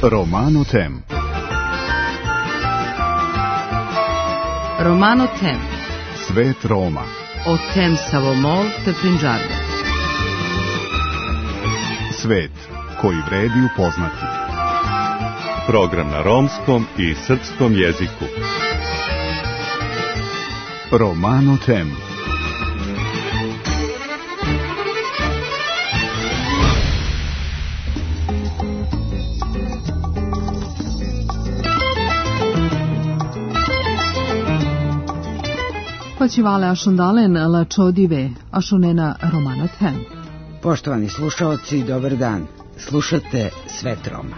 Romano Tem. Romano Tem. Svet Roma. O Tem Savomol te Prinđarde. Svet koji vredi upoznati. Program na romskom i srpskom jeziku. Romano Tem. Počivale ašundalen la čodive, ašunena Romano Tem. Poštovani slušaoci, dobar dan. Slušate Svet Roma.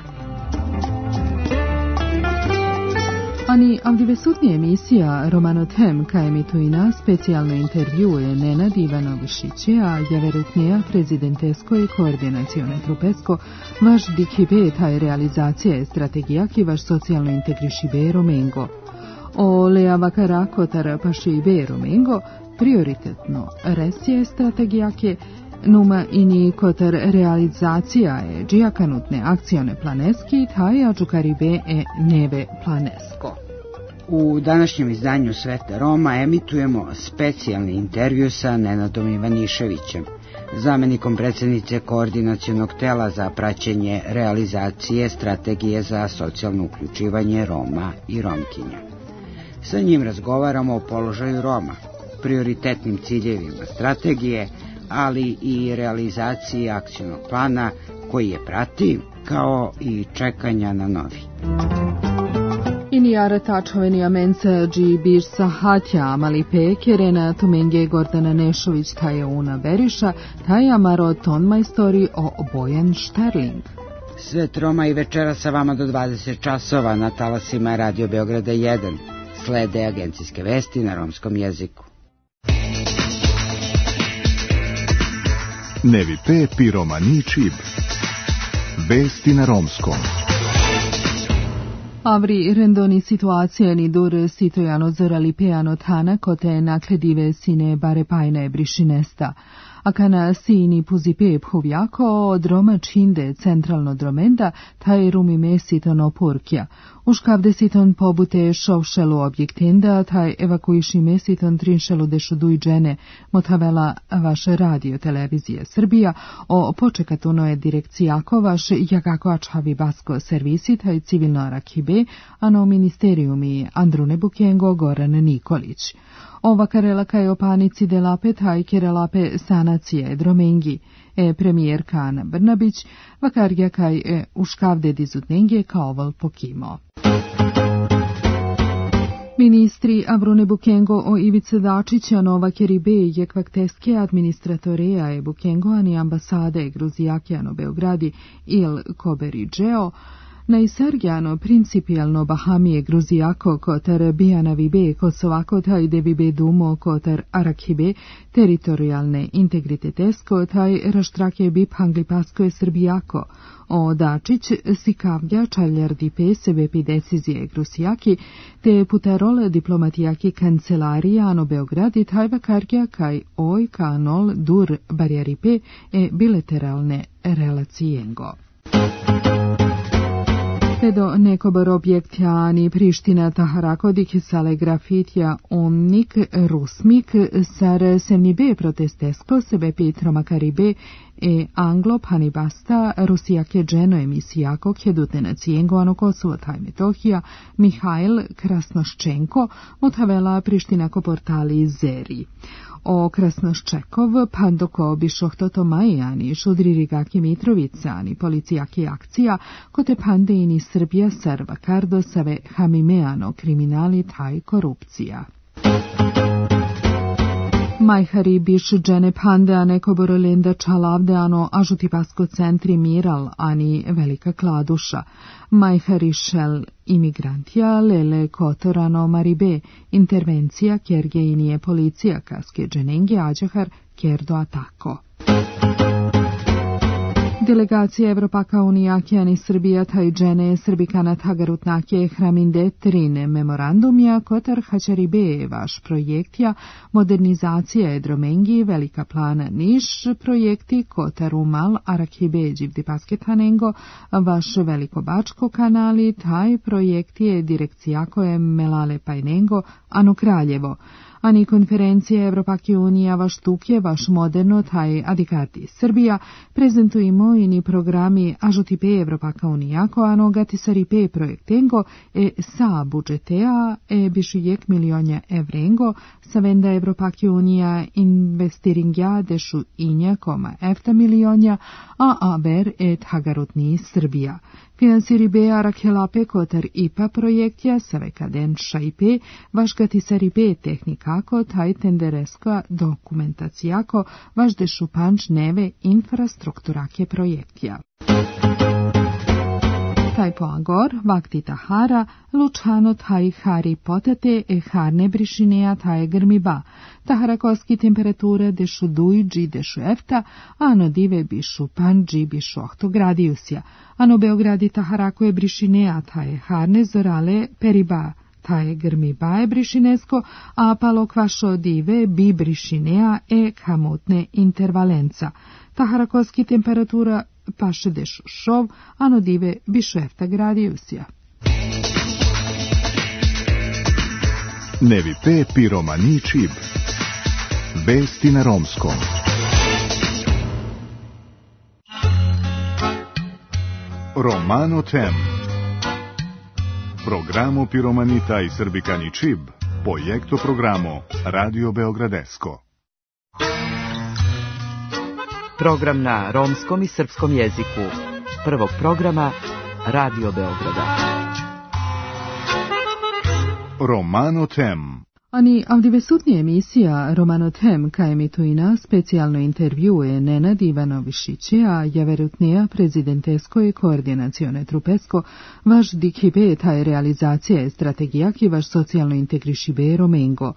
Ani avdivesutnija emisija Romano Tem, ka emituina specijalno intervjue Nenad Ivanovišiće, a javerutnija prezidentesko i koordinacione trupesko, vaš dikibe taj realizacija je strategija ki vaš socijalno integrišibe Romengo. O leava karakotar pašibe Romengo, prioritetno resije strategijake, numa ini kotar realizacija je džijakanutne akcione planeski, taj ađukaribe e neve planesko. U današnjem izdanju Sveta Roma emitujemo specijalni intervju sa Nenadom Ivaniševićem, zamenikom predsjednice koordinacionog tela za praćenje realizacije strategije za socijalno uključivanje Roma i Romkinja. Sa njim razgovaramo o položaju Roma, prioritetnim ciljevima strategije, ali i realizaciji akcijnog plana koji je prati, kao i čekanja na novi. Inijara tačoveni amenca dži birsa hatja amali pekerena tumenge Gordana Nešović taje una Beriša, taja maro ton majstori o Bojan Šterling. Svet Roma i večera sa vama do 20 časova na talasima Radio Beograda 1. Slede agencijske vesti na romskom jeziku. Nevi pe pi romani čib. Vesti na romskom. Avri rendoni situacija ni dur sitojano zorali peano tana kote nakledive sine bare pajne brišinesta. A kana sini puzipe phovjako od Roma činde centralno dromenda, taj rumi mesiton opurkja. Uškavde siton pobute šovšelu objektenda, taj evakuiši mesiton trinšelu dešuduj džene, motavela vaš radio televizija Srbija, o počekatuno je direkcijako vaš jakako ačhavi basko servisi, taj civilno rakibe, ano ministerijumi Andrune Bukengo Goran Nikolić. Ova karelaka je o panici delape taj kerelape sanacije dromengi, premijerka Ana Brnabić, vakarja kaj uškavde dizutnenge kaoval pokimo. Ministri Avrune Bukengo o Ivice Dačića Nova Keribe je kvakteske administratoreja je Bukengo ani ambasade Gruzijakjano Beogradi il Koberiđeo, najsargjano principijalno Bahamije Gruzijako kotar Bijana Vibe Kosovako taj de Vibe Dumo kotar Arakibe teritorijalne integritetesko taj raštrake bip Hanglipasko je Srbijako. O Dačić sikavlja čaljardi pe sebepi decizije Gruzijaki te putarole diplomatijaki kancelarijano Beogradi taj vakarja kaj oj kanol dur barjaripe e bilateralne relacijengo. Pedo nekobor objektjani Priština Taharakodik sale grafitja omnik rusmik sar semnibe protestesko sebe Petroma Karibe e anglo panibasta Rusijake dženo emisijako kjedute cijengo ano Kosovo taj Metohija Mihajl Krasnoščenko motavela Prištinako portali Zeri. O Krasnoščekov pandoko bišohtoto majani šudririgaki Mitrovicani policijaki akcija kote pandeini Srbija serva kardo save hamimeano kriminali taj korupcija. Majhari biš džene pande a neko borolenda čalavde ano ažutipasko centri miral ani velika kladuša. Majhari šel imigrantija lele kotorano maribe intervencija kjergejinije policija kaske dženengi ađahar kjerdo atako. Delegacija Evropaka Unijakijani Srbija tajđene Srbikanat Hagarutnake Hraminde Trine memorandumja kotar Hačaribe vaš projektja modernizacija Edromengi Velika plana Niš projekti kotar Umal Arakibe Đivdi Pasketanengo vaš Velikobačko kanali taj projekti je direkcija koje Melale Pajnengo Ano Kraljevo. Ani konferencije Evropake unija vaš tukje, vaš moderno, taj adikati Srbija, prezentujemo i ni programi ažutipe Evropaka unijako, ano gatisaripe projektengo, sa budžetea, bišujek milionja evrengo, sa venda Evropake unija investiringja dešu inja koma efta milionja, a ver et hagarutni Srbija. Finansiribe Arakhelape kotar IPA projektja savekaden šaipe, vaš gatisaripe tehnikako taj tendereska dokumentacijako, vaš dešupanč neve infrastrukturake projektja. Taj poangor, vakti tahara, lučano taj hari potate harne brišinea taj grmiba. Taharakoski temperatura dešu dujđi dešu efta, ano dive bišu panđi bišu 8 gradijusja. Ano Beogradi taharako je brišinea taj harne zorale periba. Taj grmiba je brišinesko, a palo kvašo dive bi brišinea kamutne intervalenca. Taharakoski temperatura paše dešu šov, ano dive bišu efta gradijusja. Nevi pe piromani čib. Vesti na romskom. Romano tem. Programo piromanita i srbikani čib. Projekto programo Radio Beogradesko. Program na romskom i srpskom jeziku. Prvog programa Radio Beograda. Romano tem. Ani avdivesutni emisija Romano tem ka emituina specijalno intervjue Nenad Ivanovišića, javerutnija prezidentesko i koordinacione trupesko, vaš dikhibe taj realizacija strategija ki vaš socijalno integrišibe Romengo.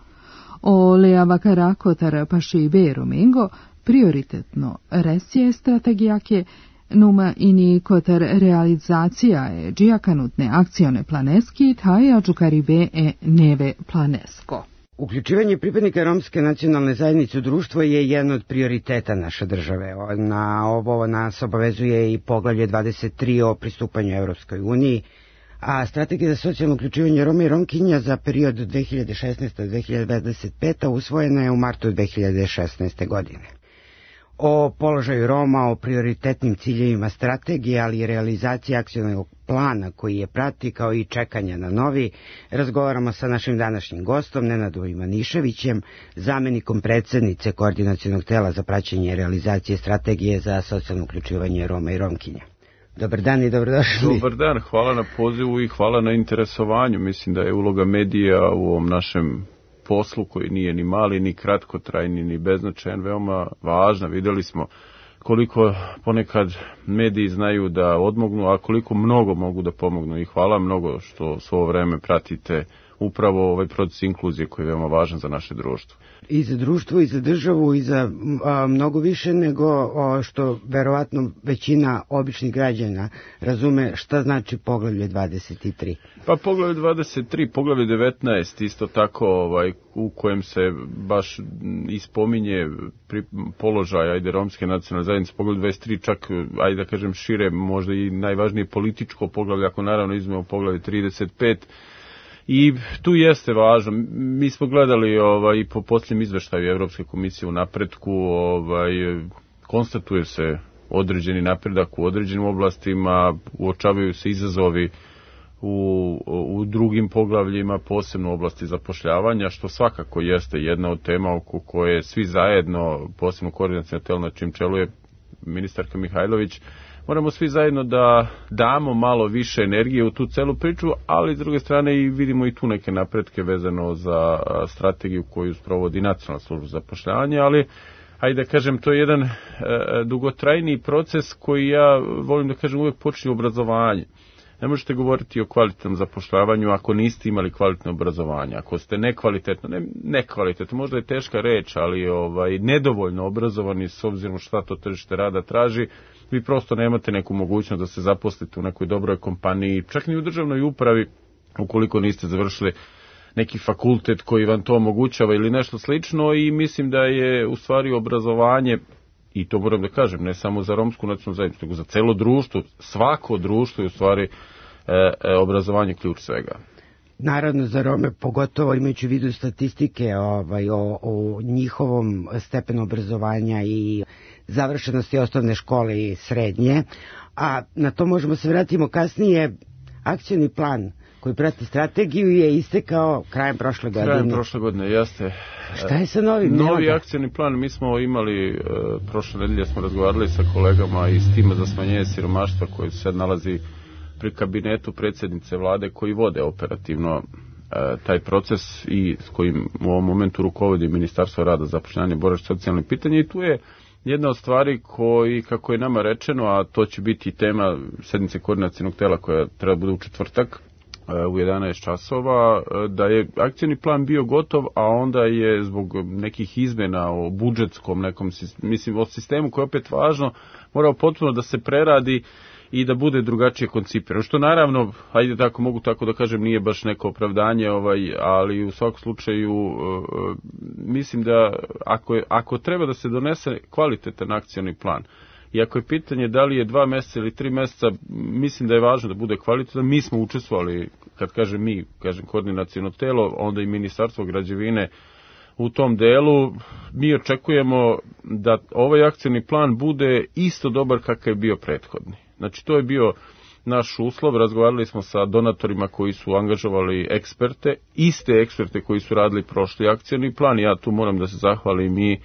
O lea vakara kotar pašibe Romengo, prioritetno resje strategijake, numa ini kotar realizacija je džijakanutne akcione planeski, taj ađukaribe neve planesko. Uključivanje pripadnika romske nacionalne zajednice u društvo je jedan od prioriteta naše države. Na ovo nas obavezuje i poglavlje 23 o pristupanju Evropskoj uniji, a strategija za socijalno uključivanje Roma i Romkinja za period 2016-2025 usvojena je u martu 2016. godine. O položaju Roma, o prioritetnim ciljevima strategije, ali i realizaciji akcionog plana koji je prati, kao i čekanja na novi, razgovaramo sa našim današnjim gostom, Nenadom Ivaniševićem, zamenikom predsjednice Koordinacionog tela za praćenje realizacije strategije za socijalno uključivanje Roma i Romkinja. Dobar dan i dobrodošli. Dobar dan, hvala na pozivu i hvala na interesovanju. Mislim da je uloga medija u ovom našem poslu koji nije ni mali, ni kratkotrajni, ni beznačajan, veoma važna. Vidjeli smo koliko ponekad mediji znaju da odmognu, a koliko mnogo mogu da pomognu. I hvala mnogo što svo vreme pratite upravo ovaj proces inkluzije koji je veoma važan za naše društvo. I za društvo, i za državu, i za mnogo više nego što verovatno većina običnih građana razume šta znači poglavlje 23. Pa poglavlje 23, poglavlje 19, isto tako u kojem se baš ispominje položaj romske nacionalne zajednice, poglavlje 23 čak, da kažem šire, možda i najvažnije političko poglavlje, ako naravno izmemo poglavlje 35, i tu jeste važno. Mi smo gledali i po posljednjem izveštaju Evropske komisije u napretku, konstatuje se određeni napredak u određenim oblastima, uočavaju se izazovi u drugim poglavljima, posebno u oblasti zapošljavanja, što svakako jeste jedna od tema oko koje svi zajedno, posebno koordinaciono telo na čim čelu je ministarka Mihajlović, moramo svi zajedno da damo malo više energije u tu celu priču, ali s druge strane i vidimo i tu neke napretke vezano za strategiju koju sprovodi Nacionalna služba za zapošljavanje, ali da kažem, to je jedan dugotrajni proces koji ja volim da kažem uvijek počinje obrazovanje. ne možete govoriti o kvalitetnom zapošljavanju ako niste imali kvalitetno obrazovanje. Ako ste nekvalitetno, možda je teška reč, ali nedovoljno obrazovani s obzirom šta to tržište rada traži, vi prosto nemate neku mogućnost da se zaposlite u nekoj dobroj kompaniji, čak ni u državnoj upravi, ukoliko niste završili neki fakultet koji vam to omogućava ili nešto slično. I mislim da je u stvari obrazovanje, i to moram da kažem, ne samo za romsku nacionalnu zajednicu, nego za celo društvo, svako društvo je u stvari obrazovanje ključ svega. Naravno za Rome, pogotovo imajući u vidu statistike o njihovom stepenu obrazovanja i završenosti osnovne škole i srednje, a na to možemo se vratimo kasnije. Akcioni plan koji prati strategiju je istekao krajem prošle godine. Krajem prošle godine, jeste. Šta je sa novim? Novi akcioni plan, mi smo imali, prošle nedelje smo razgovarali sa kolegama iz tima za smanjenje siromaštva koji se sad nalazi pri kabinetu predsjednice vlade koji vode operativno taj proces i s kojim u ovom momentu rukovodi Ministarstvo rada, zapošljavanja i boračkih socijalnih pitanja. I tu je jedna od stvari koji, kako je nama rečeno, a to će biti tema sednice koordinacionog tela koja treba bude u četvrtak u 11 časova, da je akcioni plan bio gotov, a onda je zbog nekih izmjena o budžetskom nekom, mislim o sistemu koji je opet važno, morao potpuno da se preradi i da bude drugačije koncipiran. Što naravno, ajde tako mogu tako da kažem, nije baš neko opravdanje, ali u svakom slučaju mislim da ako treba da se donese kvalitetan akcioni plan, i ako je pitanje da li je 2 mjeseca ili 3 mjeseca, mislim da je važno da bude kvalitetan. Mi smo učestvovali, kad kažem mi, kažem koordinaciono telo, onda i Ministarstvo građevine u tom delu. Mi očekujemo da ovaj akcioni plan bude isto dobar kakav je bio prethodni. Znači to je bio naš uslov, razgovarali smo sa donatorima koji su angažovali eksperte, iste eksperte koji su radili prošli akcioni plan. Ja tu moram da se zahvalim i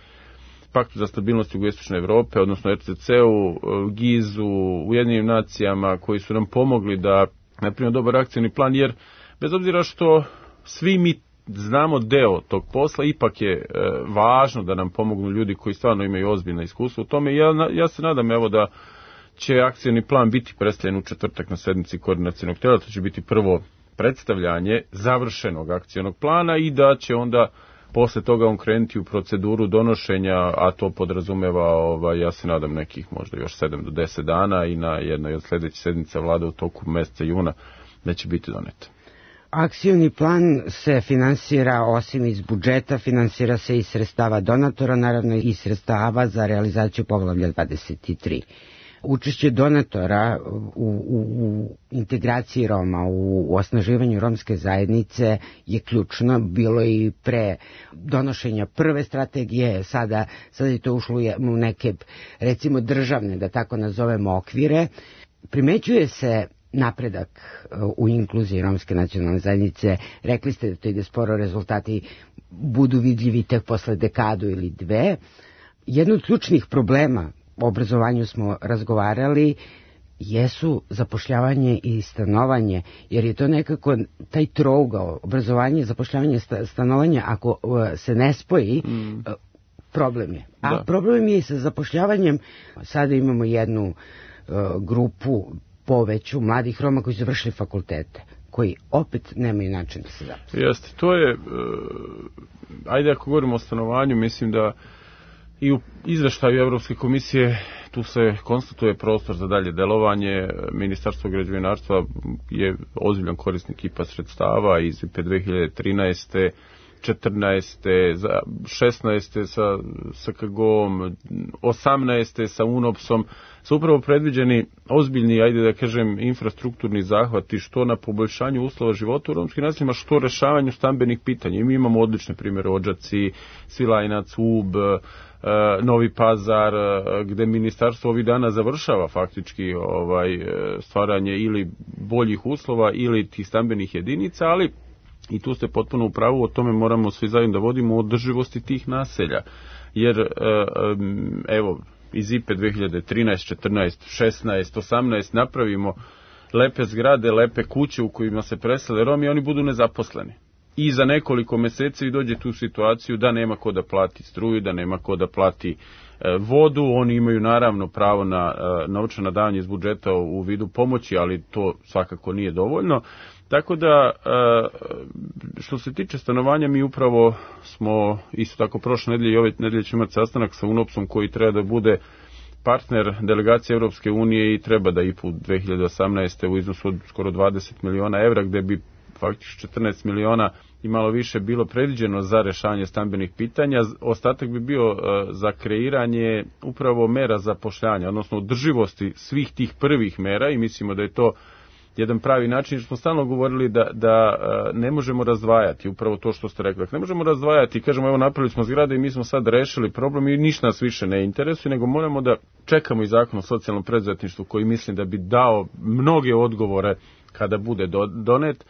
Paktu za stabilnost jugoistočne Evrope, odnosno RCC-u, GIZ-u, Ujedinjenim nacijama, koji su nam pomogli da napravimo dobar akcioni plan, jer bez obzira što svi mi znamo deo tog posla, ipak je važno da nam pomognu ljudi koji stvarno imaju ozbiljna iskustva u tome. Ja se nadam da će akcioni plan biti predstavljen u četvrtak na sednici koordinacionog tela, to će biti prvo predstavljanje završenog akcionog plana i da će onda posle toga on krenuti u proceduru donošenja, a to podrazumeva, ja se nadam, nekih možda još 7 do 10 dana i na jednoj od sljedećih sednica vlade u toku mjeseca juna da će biti donet. Akcioni plan se finansira osim iz budžeta, finansira se i sredstava donatora, naravno i sredstava za realizaciju poglavlja 23. Učešće donatora u integraciji Roma, u osnaživanju romske zajednice je ključno. Bilo i pre donošenja prve strategije, sada je to ušlo u neke, recimo, državne, da tako nazovemo, okvire. Primećuje se napredak u inkluziji romske nacionalne zajednice. Rekli ste da to ide sporo, rezultati budu vidljivi tek posle dekadu ili dve. Jedno od ključnih problema o obrazovanju smo razgovarali, jesu zapošljavanje i stanovanje, jer je to nekako taj trougao, obrazovanje, zapošljavanje, stanovanje, ako se ne spoji, problem je. A problem je i sa zapošljavanjem. Sada imamo jednu grupu poveću mladih Roma koji su završili fakultete, koji opet nemaju način da se zaposle. Jeste, to je, ajde ako govorimo o stanovanju, mislim da i u izveštaju Evropske komisije tu se konstatuje prostor za dalje delovanje. Ministarstvo građevinarstva je ozbiljan korisnik IPA sredstava iz IPA 2013. 14. 16. sa SKG-om, 18. sa UNOPS-om su upravo predviđeni ozbiljni, ajde da kažem, infrastrukturni zahvati što na poboljšanju uslova života u romskim naseljima, što rešavanju stambenih pitanja. I mi imamo odlične primjere, Odžaci, Svilajnac, Ub, Novi Pazar, gde ministarstvo ovih dana završava faktički stvaranje ili boljih uslova ili tih stambenih jedinica, ali i tu ste potpuno u pravu, o tome moramo svi zajedno da vodimo održivosti tih naselja. Jer, evo, iz IPE 2013, 14, 16, 18 napravimo lepe zgrade, lepe kuće u kojima se presele Romi i oni budu nezaposleni. i za nekoliko meseci vi dođete u situaciju da nema ko da plati struju, da nema ko da plati vodu. Oni imaju naravno pravo na novčana davanja iz budžeta u vidu pomoći, ali to svakako nije dovoljno. Tako da, što se tiče stanovanja, mi upravo smo isto tako prošle nedelje i ove nedelje ćemo imati sastanak sa UNOPS-om koji treba da bude partner delegacije Europske unije i treba da IPA 2018. u iznosu od skoro 20 miliona evra, gde bi faktički 14 miliona i malo više bilo predviđeno za rešavanje stambenih pitanja. Ostatak bi bio za kreiranje upravo mera zapošljanja, odnosno održivosti svih tih prvih mera i mislimo da je to jedan pravi način, jer smo stalno govorili da ne možemo razdvajati, upravo to što ste rekli. Ne možemo razdvajati, kažemo evo napravili smo zgrade i mi smo sad rešili problem i ništa nas više ne interesuje, nego moramo da čekamo i zakon o socijalnom preduzetništvu koji mislim da bi dao mnoge odgovore kada bude donet,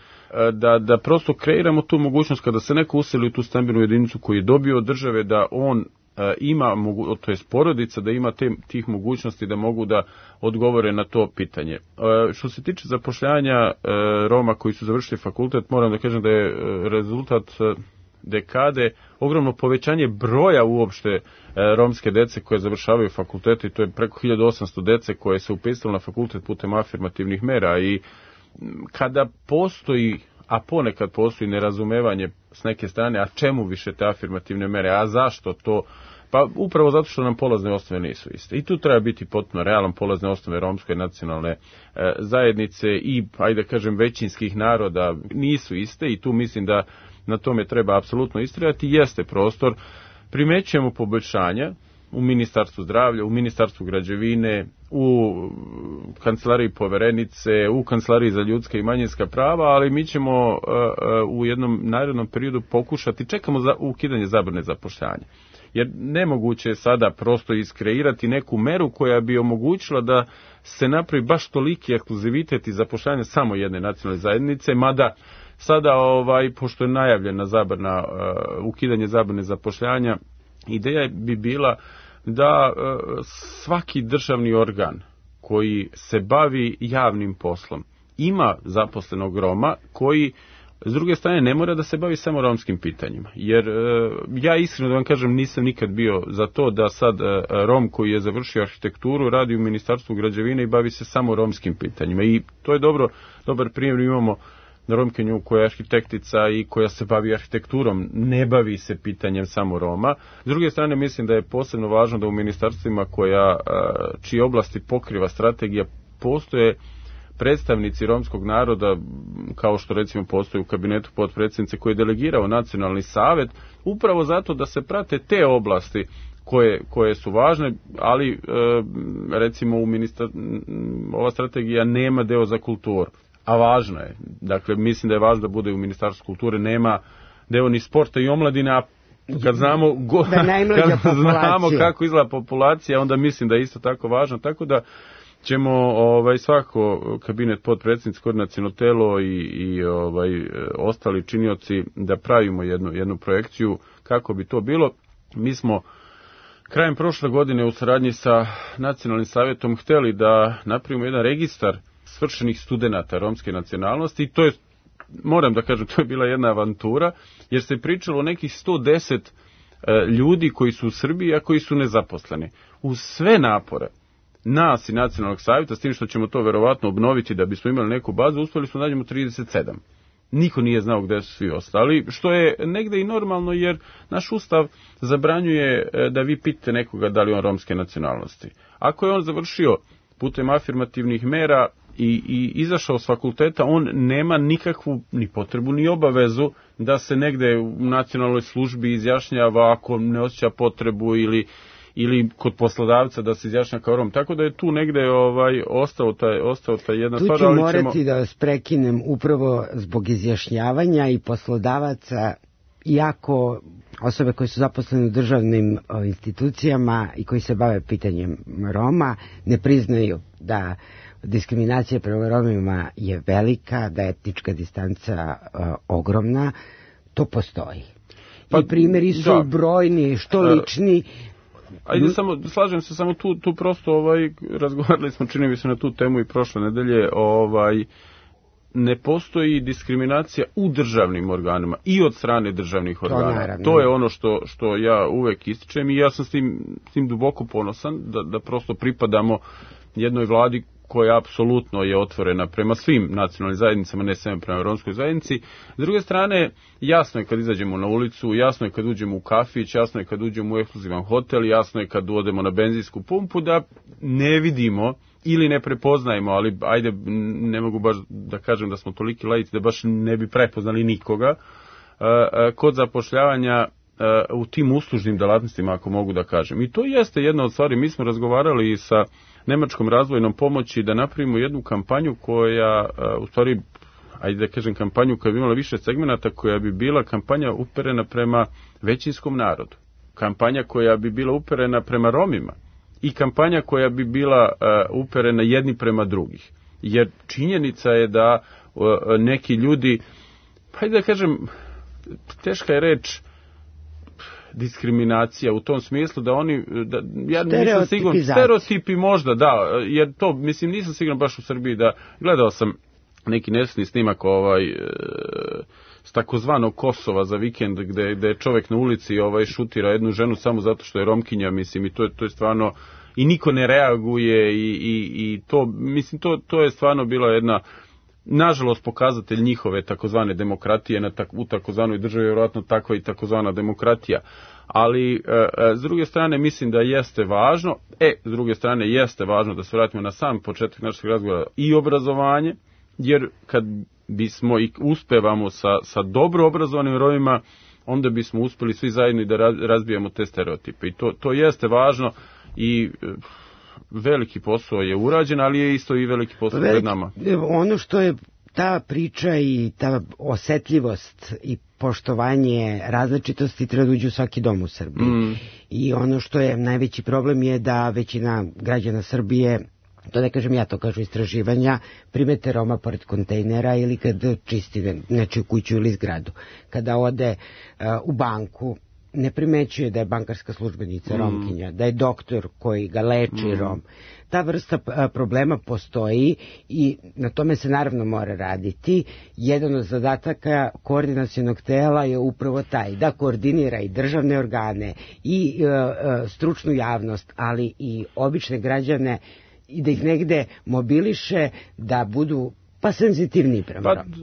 da prosto kreiramo tu mogućnost kada se neko useli u tu stambenu jedinicu koju je dobio od države, da on ima, to je porodica, da ima tih mogućnosti da mogu da odgovore na to pitanje. Što se tiče zapošljavanja Roma koji su završili fakultet, moram da kažem da je rezultat dekade ogromno povećanje broja uopšte romske dece koje završavaju fakultete i to je preko 1800 dece koje se upisalo na fakultet putem afirmativnih mera i kada postoji, a ponekad postoji nerazumevanje s neke strane, a čemu više te afirmativne mere, a zašto to? Pa upravo zato što nam polazne osnove nisu iste. I tu treba biti potpuno realan, polazne osnove romske nacionalne zajednice i, ajde kažem, većinskih naroda nisu iste i tu mislim da na tome treba apsolutno istrajati. Jeste prostor, primećujemo poboljšanja u Ministarstvu zdravlja, u Ministarstvu građevine, u Kancelariji poverenice, u Kancelariji za ljudska i manjinska prava, ali mi ćemo u jednom narednom periodu pokušati, čekamo za ukidanje zabrane zapošljavanja. Jer nemoguće je sada prosto iskreirati neku meru koja bi omogućila da se napravi baš toliki ekskluzivitet i zapošljavanje samo jedne nacionalne zajednice, mada sada, pošto je najavljena zabrana, ukidanje zabrane zapošljavanja, ideja bi bila da svaki državni organ koji se bavi javnim poslom ima zaposlenog Roma koji s druge strane ne mora da se bavi samo romskim pitanjima. Jer ja iskreno da vam kažem nisam nikad bio za to da sad Rom koji je završio arhitekturu radi u Ministarstvu građevine i bavi se samo romskim pitanjima. I to je dobar primjer. Imamo Romkinju koja je arhitektica i koja se bavi arhitekturom, ne bavi se pitanjem samo Roma. S druge strane mislim da je posebno važno da u ministarstvima čije oblasti pokriva strategija postoje predstavnici romskog naroda, kao što recimo postoji u kabinetu potpredsjednice koji je delegirao nacionalni savet, upravo zato da se prate te oblasti koje su važne, ali recimo ova strategija nema deo za kulturu, a važno je. Dakle, mislim da je važno da bude u Ministarstvu kulture, nema deo ni sporta i omladine, a kad znamo kako izgleda populacija, onda mislim da je isto tako važno, tako da ćemo svako kabinet potpredsjednici, koordinaciono telo i ostali činioci da pravimo jednu projekciju kako bi to bilo. Mi smo krajem prošle godine u saradnji sa Nacionalnim savjetom hteli da napravimo jedan registar svršenih studenata romske nacionalnosti i to je, moram da kažem, to je bila jedna avantura, jer se pričalo o nekih 110 ljudi koji su u Srbiji, a koji su nezaposleni. Uz sve napore nas i Nacionalnog savjeta, s tim što ćemo to verovatno obnoviti da bismo imali neku bazu, uspjeli smo nađemo 37. Niko nije znao gde su svi ostali, što je negde i normalno, jer naš ustav zabranjuje da vi pitate nekoga da li on romske nacionalnosti. Ako je on završio putem afirmativnih mera i izašao s fakulteta, on nema nikakvu ni potrebu ni obavezu da se negde u nacionalnoj službi izjašnjava ako ne osjeća potrebu ili kod poslodavca da se izjašnja kao Rom. Tako da je tu negde ostao taj jedna stvar. Tu ću morati da vas prekinem upravo zbog izjašnjavanja i poslodavaca, iako osobe koje su zaposlene u državnim institucijama i koji se bave pitanjem Roma ne priznaju da diskriminacija prema Romima je velika, da je etnička distanca ogromna, to postoji. I primjeri su brojni, što lični. Ajde, slažem se, samo tu prosto razgovarali smo, čini mi se, na tu temu i prošle nedelje, ne postoji diskriminacija u državnim organima i od strane državnih organa. To je ono što ja uvek ističem i ja sam s tim duboko ponosan da prosto pripadamo jednoj vladi koja apsolutno je otvorena prema svim nacionalnim zajednicama, ne samo prema romskoj zajednici. S druge strane, jasno je kad izađemo na ulicu, jasno je kad uđemo u kafić, jasno je kad uđemo u ekskluzivan hotel, jasno je kad odemo na benzinsku pumpu, da ne vidimo ili ne prepoznajemo, ali ajde, ne mogu baš da kažem da smo toliki laici da baš ne bi prepoznali nikoga, kod zapošljavanja u tim uslužnim delatnostima, ako mogu da kažem. I to jeste jedna od stvari. Mi smo razgovarali i sa Nemačkom razvojnom pomoći da napravimo jednu kampanju koja, u stvari, ajde da kažem kampanju koja bi imala više segmenata, koja bi bila kampanja uperena prema većinskom narodu. Kampanja koja bi bila uperena prema Romima i kampanja koja bi bila uperena jedni prema drugih. Jer činjenica je da neki ljudi, pa ajde da kažem, teška je reč, diskriminacija u tom smislu da oni, ja nisam siguran, stereotipi možda, da, jer to, mislim, nisam siguran baš u Srbiji da, gledao sam neki nesni snimak s takozvanog Kosova za vikend gde je čovjek na ulici šutira jednu ženu samo zato što je Romkinja, mislim, i to je stvarno, i niko ne reaguje i to, mislim, to je stvarno bila jedna, nažalost, pokazatelj njihove takozvane demokratije u takozvanoj državi, vjerojatno takva i takozvana demokratija. Ali, s druge strane, mislim da jeste važno, s druge strane, jeste važno da se vratimo na sam početak našeg razgovora i obrazovanje, jer kad bismo i uspevamo sa dobro obrazovanim Romima, onda bismo uspeli svi zajedno i da razbijamo te stereotipe. I to jeste važno i veliki posao je urađen, ali je isto i veliki posao pred nama. Ono što je ta priča i ta osetljivost i poštovanje različitosti treba da uđe u svaki dom u Srbiji. I ono što je najveći problem je da većina građana Srbije, to ne kažem ja, to kažu istraživanja, primete Roma pored kontejnera ili kad čisti nečiju kuću ili zgradu. Kada ode u banku, ne primećuje da je bankarska službenica Romkinja, da je doktor koji ga leči Rom. Ta vrsta problema postoji i na tome se naravno mora raditi. Jedan od zadataka koordinacionog tela je upravo taj, da koordinira i državne organe i stručnu javnost, ali i obične građane i da ih negde mobiliše da budu senzitivniji prema Romu.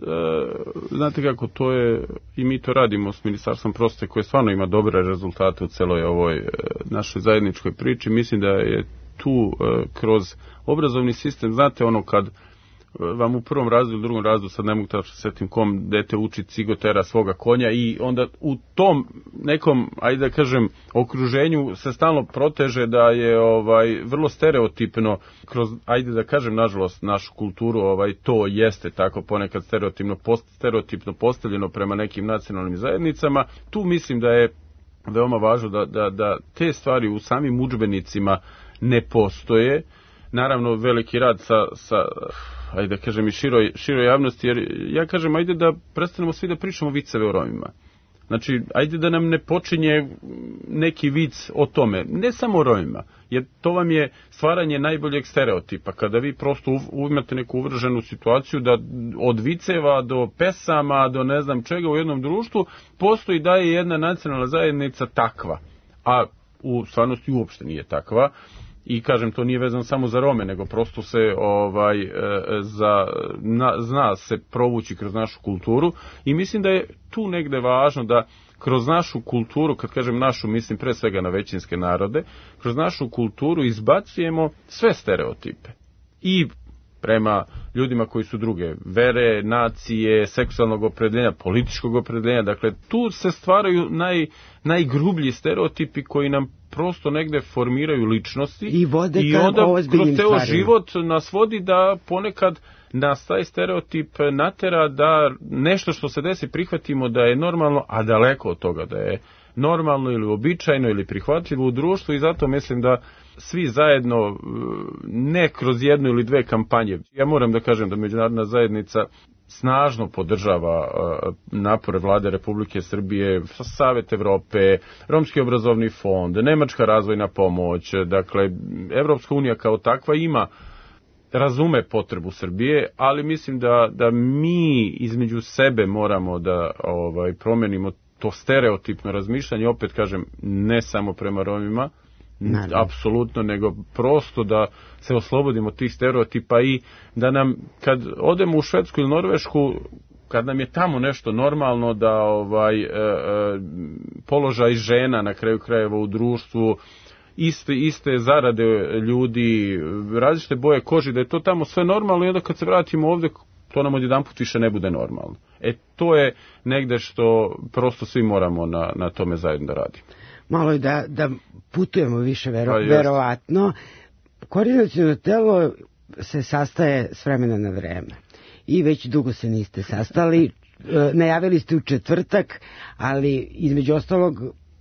Znate kako, to je, i mi to radimo s Ministarstvom prosvete koje stvarno ima dobre rezultate u celoj ovoj našoj zajedničkoj priči. Mislim da je tu kroz obrazovni sistem, znate ono kad vam u prvom razredu, u drugom razredu, sad ne mogu da se setim kom dete uči cigotera svoga konja i onda u tom nekom, ajde da kažem, okruženju se stalno proteže da je vrlo stereotipno kroz, ajde da kažem, nažalost, našu kulturu, to jeste tako ponekad stereotipno postavljeno prema nekim nacionalnim zajednicama. Tu mislim da je veoma važno da te stvari u samim udžbenicima ne postoje. Naravno, veliki rad sa ajde da kažem i široj javnosti, jer ja kažem, ajde da prestanemo svi da pričamo viceve o Romima. Znači, ajde da nam ne počinje neki vic o tome, ne samo o Romima, jer to vam je stvaranje najboljeg stereotipa, kada vi prosto imate neku uvrženu situaciju da od viceva do pesama, do ne znam čega u jednom društvu, postoji da je jedna nacionalna zajednica takva, a u stvarnosti uopšte nije takva. I kažem, to nije vezano samo za Rome, nego prosto se zna se provući kroz našu kulturu i mislim da je tu negde važno da kroz našu kulturu, kad kažem našu, mislim pre svega na većinske narode, kroz našu kulturu izbacujemo sve stereotipe i prema ljudima koji su druge vere, nacije, seksualnog opredeljenja, političkog opredeljenja. Dakle, tu se stvaraju najgrublji stereotipi koji nam prosto negde formiraju ličnosti i onda kroz ceo život nas vodi da ponekad nas taj stereotip natera da nešto što se desi prihvatimo da je normalno, a daleko od toga da je normalno ili uobičajeno ili prihvatljivo u društvu i zato mislim da svi zajedno, ne kroz jednu ili dve kampanje. Ja moram da kažem da međunarodna zajednica snažno podržava napore vlade Republike Srbije, Savet Evrope, Romski obrazovni fond, Nemačka razvojna pomoć, dakle, Evropska unija kao takva ima razume potrebu Srbije, ali mislim da mi između sebe moramo da promenimo to stereotipno razmišljanje, opet kažem, ne samo prema Romima, apsolutno, nego prosto da se oslobodimo tih stereotipa i da nam, kad odemo u Švedsku ili Norvešku, kad nam je tamo nešto normalno, da položaj žena na kraju krajeva u društvu, iste zarade ljudi, različite boje koži, da je to tamo sve normalno i onda kad se vratimo ovde, to nam odjedanput više ne bude normalno. To je negde što prosto svi moramo na tome zajedno da radimo. Malo je da putujemo više, verovatno. Koordinaciono telo se sastaje s vremena na vreme i već dugo se niste sastali. Najavili ste u četvrtak, ali između ostalog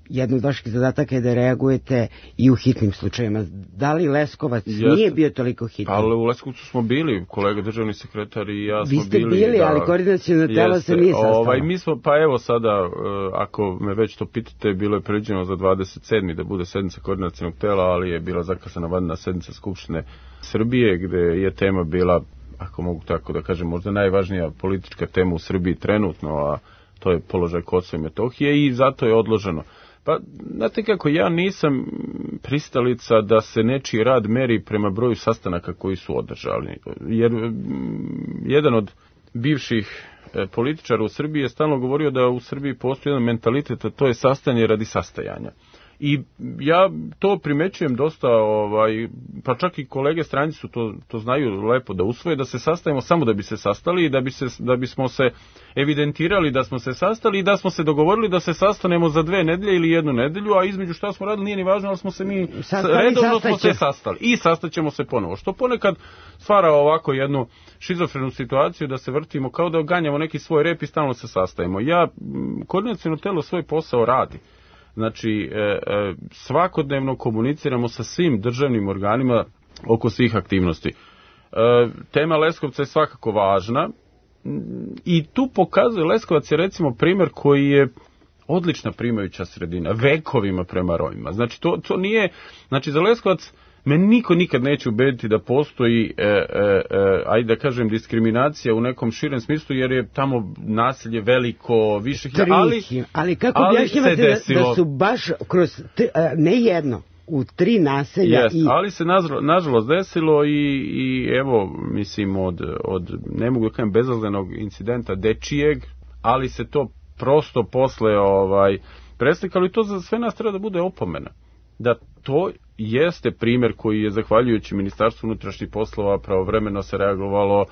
jedan od vaših zadataka je da reagujete i u hitnim slučajima. Da li Leskovac nije bio toliko hitan? Ali u Leskovcu smo bili, kolega državni sekretar i ja smo bili. Vi ste bili, ali koordinaciono telo se nije sastalo. Mi smo, pa evo sada, ako me već to pitate, bilo je predviđeno za 27. da bude sednica koordinacionog tela, ali je bila zakasana vanredna sednica Skupštine Srbije, gde je tema bila, ako mogu tako da kažem, možda najvažnija politička tema u Srbiji trenutno, a to je položaj Kosova i Metohije, i zato je odloženo. Pa, znate kako, ja nisam pristalica da se nečiji rad meri prema broju sastanaka koji su održali. Jer jedan od bivših političara u Srbiji je stalno govorio da u Srbiji postoji jedan mentalitet, a to je sastajanje radi sastajanja. I ja to primećujem dosta, pa čak i kolege stranci su to znaju lepo da usvoje, da se sastajemo samo da bi se sastali i da bismo se evidentirali da smo se sastali i da smo se dogovorili da se sastanemo za 2 nedelje ili 1 nedelju, a između šta smo radili nije ni važno, ali smo se mi redovno smo se sastali i sastaćemo se ponovo. Što ponekad stvara ovako jednu šizofrenu situaciju da se vrtimo kao da ganjamo neki svoj rep i stalno se sastajemo. Koordinaciono telo svoj posao radi. Znači, svakodnevno komuniciramo sa svim državnim organima oko svih aktivnosti. Tema Leskovca je svakako važna i tu pokazuje, Leskovac je recimo primjer koji je odlična primajuća sredina, vekovima prema Romima. Znači, to nije, znači za Leskovac me niko nikad neće ubediti da postoji, ajde da kažem, diskriminacija u nekom širem smislu, jer je tamo nasilje veliko, više, ali kako objašnjavate da su baš kroz, ne jedno, u 3 naselja. Ali se nažalost desilo i evo, mislim, od ne mogu da kažem bezazlenog incidenta dečijeg, ali se to prosto posle preslikalo i to za sve nas treba da bude opomena. Da to jeste primjer koji je, zahvaljujući Ministarstvu unutrašnjih poslova, pravovremeno se reagovalo,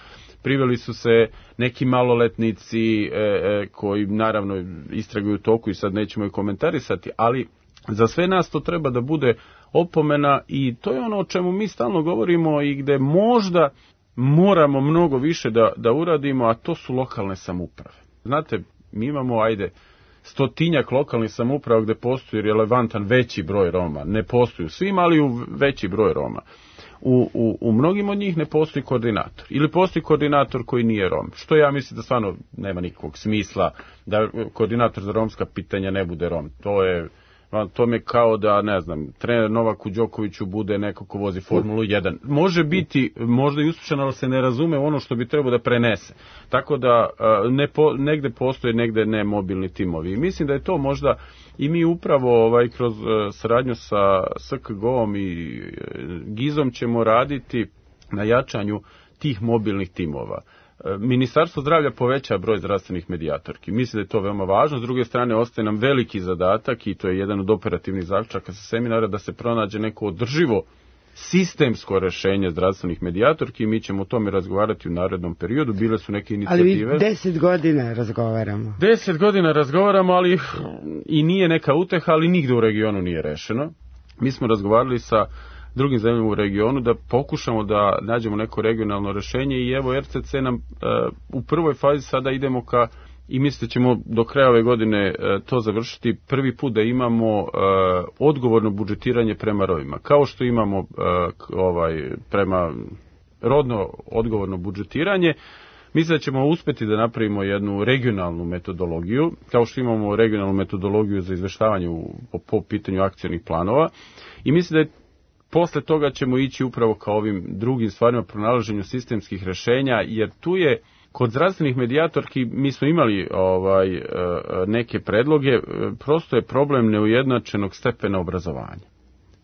priveli su se neki maloletnici koji naravno istraguju toku i sad nećemo ih komentarisati, ali za sve nas to treba da bude opomena i to je ono o čemu mi stalno govorimo i gde možda moramo mnogo više da uradimo, a to su lokalne samouprave. Znate, mi imamo, 100-tinjak lokalnih samouprava gde postoji relevantan veći broj Roma. Ne postoji u svim, ali u veći broj Roma. U mnogim od njih ne postoji koordinator. Ili postoji koordinator koji nije Rom. Što ja mislim da stvarno nema nikakvog smisla da koordinator za romska pitanja ne bude Rom. To mi je kao da, ne znam, trener Novaku Đokoviću bude neko ko vozi Formulu 1. Može biti, možda i uspješan, ali se ne razume ono što bi trebao da prenese. Tako da negde postoje, negde ne mobilni timovi. I mislim da je to možda i mi upravo kroz saradnju sa SKGO-om i GIZ-om ćemo raditi na jačanju tih mobilnih timova. Ministarstvo zdravlja poveća broj zdravstvenih medijatorki. Mislim da je to veoma važno. S druge strane, ostaje nam veliki zadatak i to je jedan od operativnih zaključaka sa seminara da se pronađe neko održivo sistemsko rešenje zdravstvenih medijatorki i mi ćemo o tome razgovarati u narednom periodu. Bile su neke inicijative. Ali 10 godina razgovaramo. 10 godina razgovaramo, ali i nije neka uteha, ali nigde u regionu nije rešeno. Mi smo razgovarali sa drugim zemljama u regionu da pokušamo da nađemo neko regionalno rešenje i evo RCC nam u prvoj fazi sada idemo i mislim da ćemo do kraja ove godine to završiti, prvi put da imamo odgovorno budžetiranje prema Romima. Kao što imamo prema rodno odgovorno budžetiranje, mislim da ćemo uspeti da napravimo jednu regionalnu metodologiju, kao što imamo regionalnu metodologiju za izveštavanje po pitanju akcionih planova i mislim da je posle toga ćemo ići upravo ka ovim drugim stvarima, pronalaženju sistemskih rešenja, jer tu je kod zdravstvenih medijatorki, mi smo imali neke predloge, prosto je problem neujednačenog stepena obrazovanja.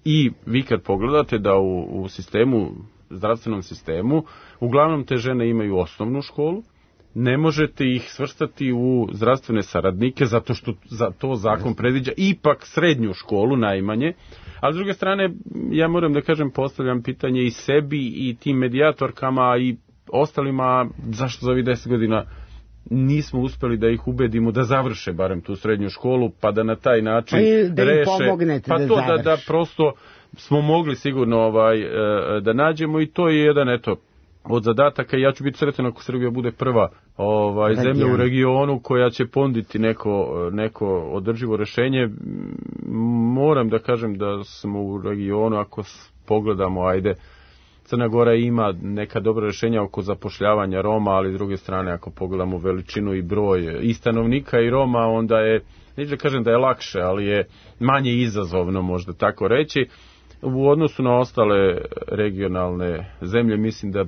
I vi kad pogledate da u sistemu, zdravstvenom sistemu, uglavnom te žene imaju osnovnu školu, ne možete ih svrstati u zdravstvene saradnike zato što za to zakon predviđa ipak srednju školu najmanje, a s druge strane ja moram da kažem, postavljam pitanje i sebi i tim medijatorkama i ostalima, zašto za ovih 10 godina nismo uspeli da ih ubedimo da završe barem tu srednju školu, pa da na taj način da reše, pa to da prosto smo mogli sigurno da nađemo, i to je jedan od zadataka. Ja ću biti sretan ako Srbija bude prva zemlja u regionu koja će ponuditi neko održivo rešenje. Moram da kažem da smo u regionu, ako pogledamo, Crna Gora ima neka dobra rešenja oko zapošljavanja Roma, ali s druge strane ako pogledamo veličinu i broj i stanovnika i Roma, onda je, neću da kažem da je lakše, ali je manje izazovno, možda tako reći. U odnosu na ostale regionalne zemlje, mislim da,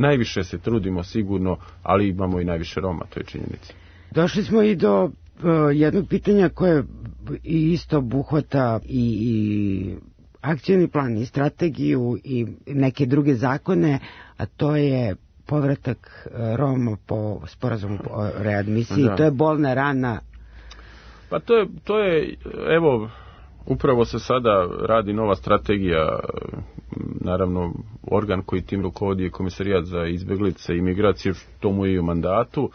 najviše se trudimo sigurno, ali imamo i najviše Roma, to je činjenica. Došli smo i do jednog pitanja koje isto obuhvata i akcioni plan i strategiju i neke druge zakone, a to je povratak Roma po sporazumu o readmisiji. To je bolna rana. Pa to je, evo, upravo se sada radi nova strategija, naravno organ koji tim rukovodi je Komesarijat za izbeglice i migracije, što mu je i u mandatu.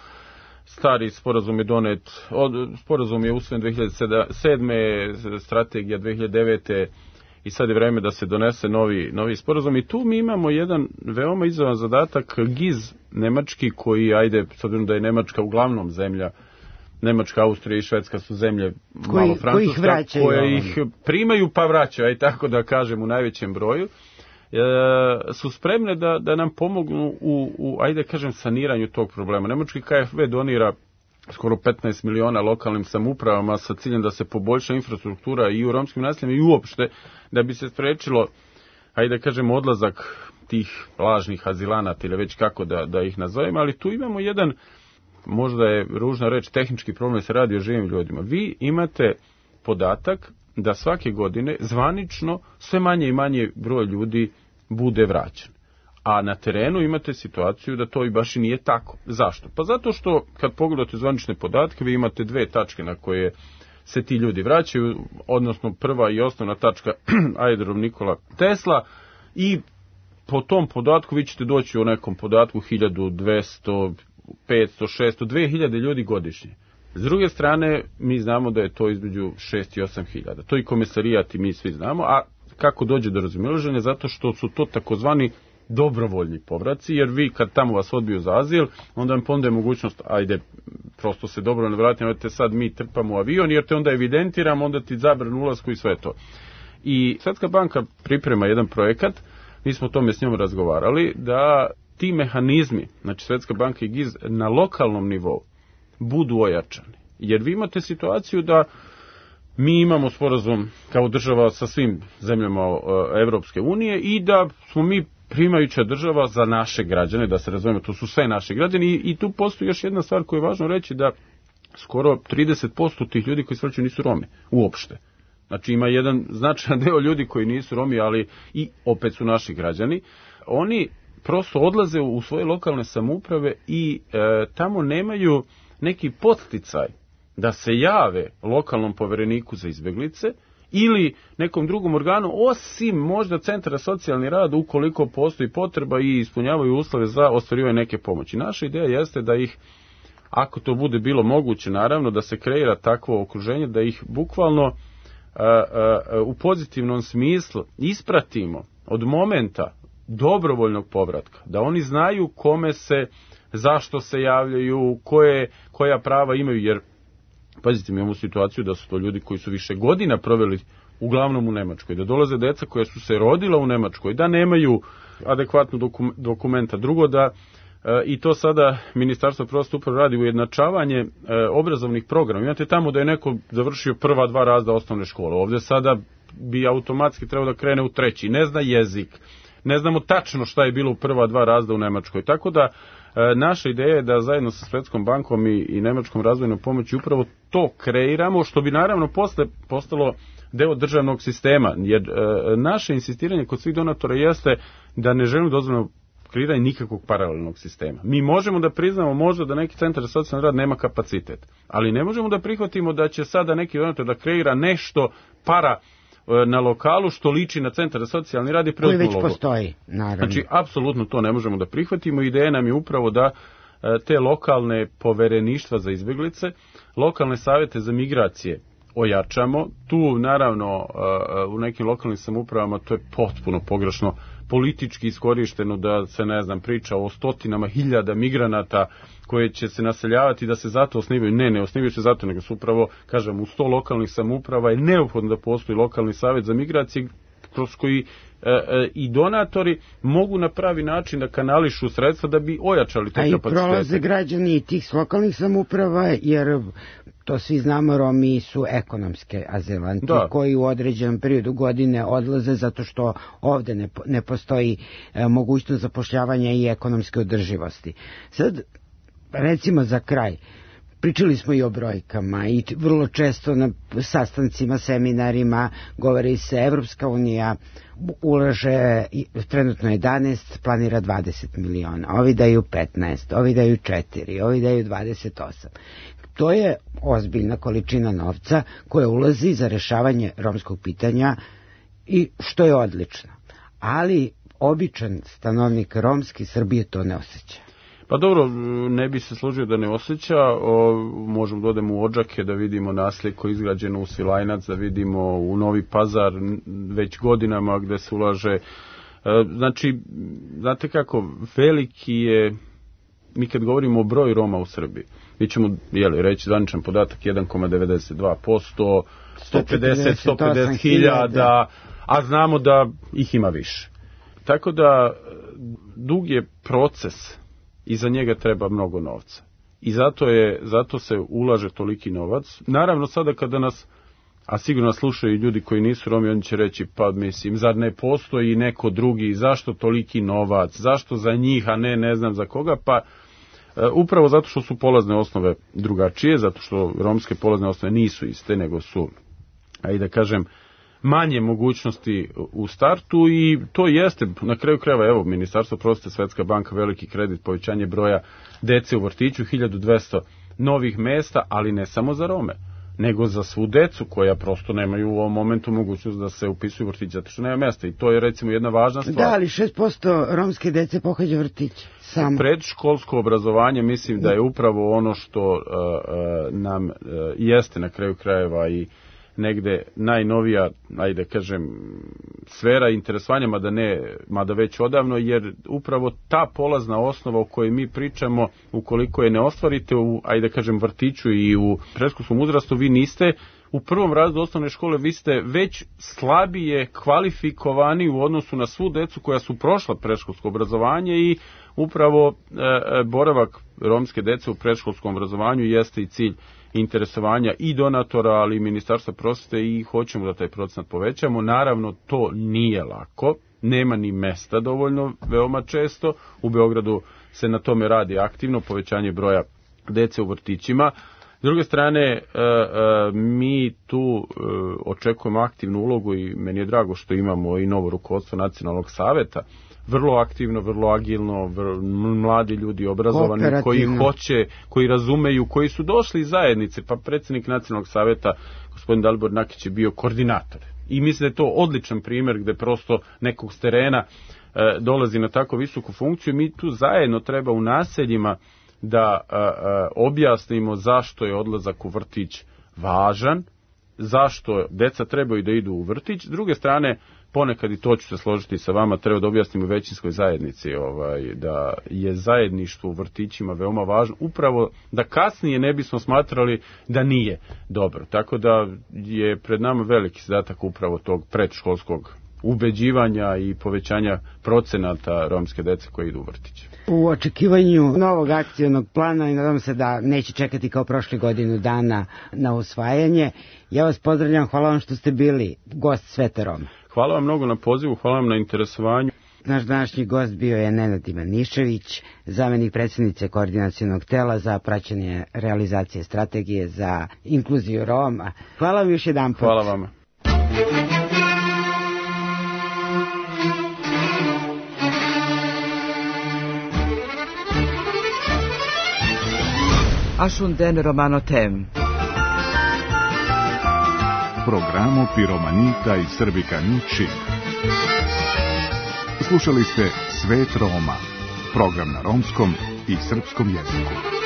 Stari sporazum je donet, sporazum je usvojen 2007. strategija 2009. i sad je vreme da se donese novi sporazum, i tu mi imamo jedan veoma izazovan zadatak. GIZ nemački, koji, s obzirom da je Nemačka uglavnom zemlja, Nemačka, Austrija i Švedska su zemlje, malo Francuska, koje ih primaju pa vraćaju, tako da kažem, u najvećem broju, su spremne da nam pomognu u saniranju tog problema. Nemački KfW donira skoro 15 miliona lokalnim samoupravama sa ciljem da se poboljša infrastruktura i u romskim naseljima i uopšte da bi se sprečilo, odlazak tih lažnih azilanata ili već kako da ih nazovemo, ali tu imamo jedan, možda je ružna reč, tehnički problem, se radi o živim ljudima. Vi imate podatak da svake godine zvanično sve manje i manje broj ljudi bude vraćan. A na terenu imate situaciju da to i baš i nije tako. Zašto? Pa zato što kad pogledate zvanične podatke, vi imate dve tačke na koje se ti ljudi vraćaju, odnosno prva i osnovna tačka aerodrom Nikola Tesla, i po tom podatku vi ćete doći u nekom podatku 1200, 500, 600, 2000 ljudi godišnje. S druge strane, mi znamo da je to između 6 i 8 hiljada. To i Komesarijat i mi svi znamo, a kako dođe do razilaženja? Zato što su to takozvani dobrovoljni povraci, jer vi kad tamo vas odbiju za azil, onda vam ponude mogućnost, prosto se dobrovoljno vratite, sad mi trpamo avion, jer te onda evidentiramo, onda ti zabranu ulasku i sve to. I Svetska banka priprema jedan projekat, mi smo o tome s njom razgovarali, da ti mehanizmi, znači Svetska banka i GIZ, na lokalnom nivou budu ojačani. Jer vi imate situaciju da mi imamo sporazum kao država sa svim zemljama Evropske unije i da smo mi primajuća država za naše građane, da se razumemo, to su sve naši građani, i tu postoji još jedna stvar koju je važno reći, da skoro 30% tih ljudi koji se vraćaju nisu Romi, uopšte. Znači ima jedan značajan deo ljudi koji nisu Romi, ali i opet su naši građani. Oni prosto odlaze u svoje lokalne samouprave i tamo nemaju neki podsticaj da se jave lokalnom povereniku za izbeglice ili nekom drugom organu, osim možda centra socijalni rad, ukoliko postoji potreba i ispunjavaju uslove za ostvarivanje neke pomoći. Naša ideja jeste da ih, ako to bude bilo moguće, naravno, da se kreira takvo okruženje, da ih bukvalno u pozitivnom smislu ispratimo od momenta dobrovoljnog povratka, da oni znaju kome se, zašto se javljaju, koja prava imaju, jer pazite, mi imamo situaciju da su to ljudi koji su više godina proveli uglavnom u Nemačkoj, da dolaze deca koja su se rodila u Nemačkoj, da nemaju adekvatnu dokumenta. Drugo, da i to sada Ministarstvo prosvete upravo radi ujednačavanje obrazovnih programa. Imate tamo da je neko završio prva 2 razreda osnovne škole. Ovdje sada bi automatski trebao da krene u treći, ne zna jezik, ne znamo tačno šta je bilo u prva 2 razreda u Nemačkoj, tako da naša ideja je da zajedno sa Svetskom bankom i Nemačkom razvojnom pomoći upravo to kreiramo, što bi naravno posle postalo deo državnog sistema, jer naše insistiranje kod svih donatora jeste da ne želimo dozvoljeno kreiranje nikakvog paralelnog sistema. Mi možemo da priznamo možda da neki centar za socijalni rad nema kapacitet, ali ne možemo da prihvatimo da će sada neki donator da kreira nešto na lokalu što liči na centar za socijalni rad i koji već postoji, naravno. Znači, apsolutno to ne možemo da prihvatimo. Ideja nam je upravo da te lokalne povereništva za izbjeglice, lokalne savjete za migracije ojačamo. Tu, naravno, u nekim lokalnim samoupravama to je potpuno pogrešno politički iskorišteno da se, ne znam, priča o stotinama hiljada migranata koje će se naseljavati da se zato osnivaju. Ne osnivaju se zato, nego su upravo, kažem, u 100 lokalnih samouprava je neophodno da postoji lokalni savjet za migracije kroz koji i donatori mogu na pravi način da kanališu sredstva da bi ojačali te kapacitete. A i prolaze građani tih lokalnih samouprava, jer to svi znamo, Romi su ekonomske azilanti koji u određenom periodu godine odlaze zato što ovde ne postoji mogućnost zapošljavanja i ekonomske održivosti. Sad, recimo za kraj, pričali smo i o brojkama i vrlo često na sastancima, seminarima govori se Evropska unija ulaže trenutno 11, planira 20 miliona, ovi daju 15, ovi daju 4, ovi daju 28. To je ozbiljna količina novca koja ulazi za rešavanje romskog pitanja i što je odlično. Ali običan stanovnik romski Srbije to ne osjeća. Pa dobro, ne bi se složio da ne osjeća, možemo da odemo u Odžake da vidimo naselje koje je izgrađeno u Svilajnac, da vidimo u Novi Pazar već godinama gde se ulaže. Znači, znate kako, veliki je, mi kad govorimo o broju Roma u Srbiji, mi ćemo reći zvaničan podatak 1,92%, 150 hiljada, a znamo da ih ima više. Tako da dug je proces i za njega treba mnogo novca. I zato se ulaže toliki novac. Naravno, sada kada nas, a sigurno slušaju ljudi koji nisu Romi, oni će reći, pa mislim, zar ne postoji neko drugi, zašto toliki novac, zašto za njih, a ne znam za koga, pa upravo zato što su polazne osnove drugačije, zato što romske polazne osnove nisu iste, nego su, ajde da kažem, manje mogućnosti u startu i to jeste, na kraju krajeva, evo, Ministarstvo prosvete, Svetska banka, veliki kredit, povećanje broja dece u vrtiću, 1200 novih mesta, ali ne samo za Rome, nego za svu decu koja prosto nemaju u ovom momentu mogućnost da se upisuju u vrtić, zato što nema mesta i to je recimo jedna važna stvar. Da, ali 6% romske dece pohađa vrtić. Samo. Predškolsko obrazovanje mislim da je upravo ono što nam jeste na kraju krajeva i negde najnovija, ajde kažem, sfera interesovanja, mada već odavno, jer upravo ta polazna osnova o kojoj mi pričamo, ukoliko je ne ostvarite u, ajde kažem, vrtiću i u predškolskom uzrastu, vi niste u prvom razredu osnovne škole, vi ste već slabije kvalifikovani u odnosu na svu decu koja su prošla predškolsko obrazovanje i upravo boravak romske dece u predškolskom obrazovanju jeste i cilj interesovanja i donatora, ali i Ministarstva prosvete i hoćemo da taj procenat povećamo. Naravno, to nije lako, nema ni mesta dovoljno, veoma često. U Beogradu se na tome radi aktivno, povećanje broja dece u vrtićima. S druge strane, mi tu očekujemo aktivnu ulogu i meni je drago što imamo i novo rukovodstvo Nacionalnog saveta, vrlo aktivno, vrlo agilno, mladi ljudi obrazovani koji hoće, koji razumeju, koji su došli iz zajednice, pa predsjednik Nacionalnog saveta, gospodin Dalibor Nakić, je bio koordinator. I mislim da je to odličan primjer gde prosto nekog s terena dolazi na tako visoku funkciju. Mi tu zajedno treba u naseljima da objasnimo zašto je odlazak u vrtić važan, zašto deca trebaju da idu u vrtić. S druge strane, ponekad, i to ću se složiti sa vama, treba da objasnimo većinskoj zajednici da je zajedništvo u vrtićima veoma važno, upravo da kasnije ne bismo smatrali da nije dobro. Tako da je pred nama veliki zadatak upravo tog predškolskog ubeđivanja i povećanja procenata romske dece koje idu u vrtiće. U očekivanju novog akcionog plana i nadam se da neće čekati kao prošle godinu dana na usvajanje. Ja vas pozdravljam, hvala vam što ste bili gost Sveta Roma. Hvala vam mnogo na pozivu, hvala vam na interesovanju. Naš današnji gost bio je Nenad Ivanišević, zamenik predsjednice Koordinacionog tela za praćenje realizacije strategije za inkluziju Roma. Hvala vam još jedan put. Hvala vama. Ashunden Romano Tem. Programo Piromanita i Srbikani Čib. Slušali ste Svet Roma, program na romskom i srpskom jeziku.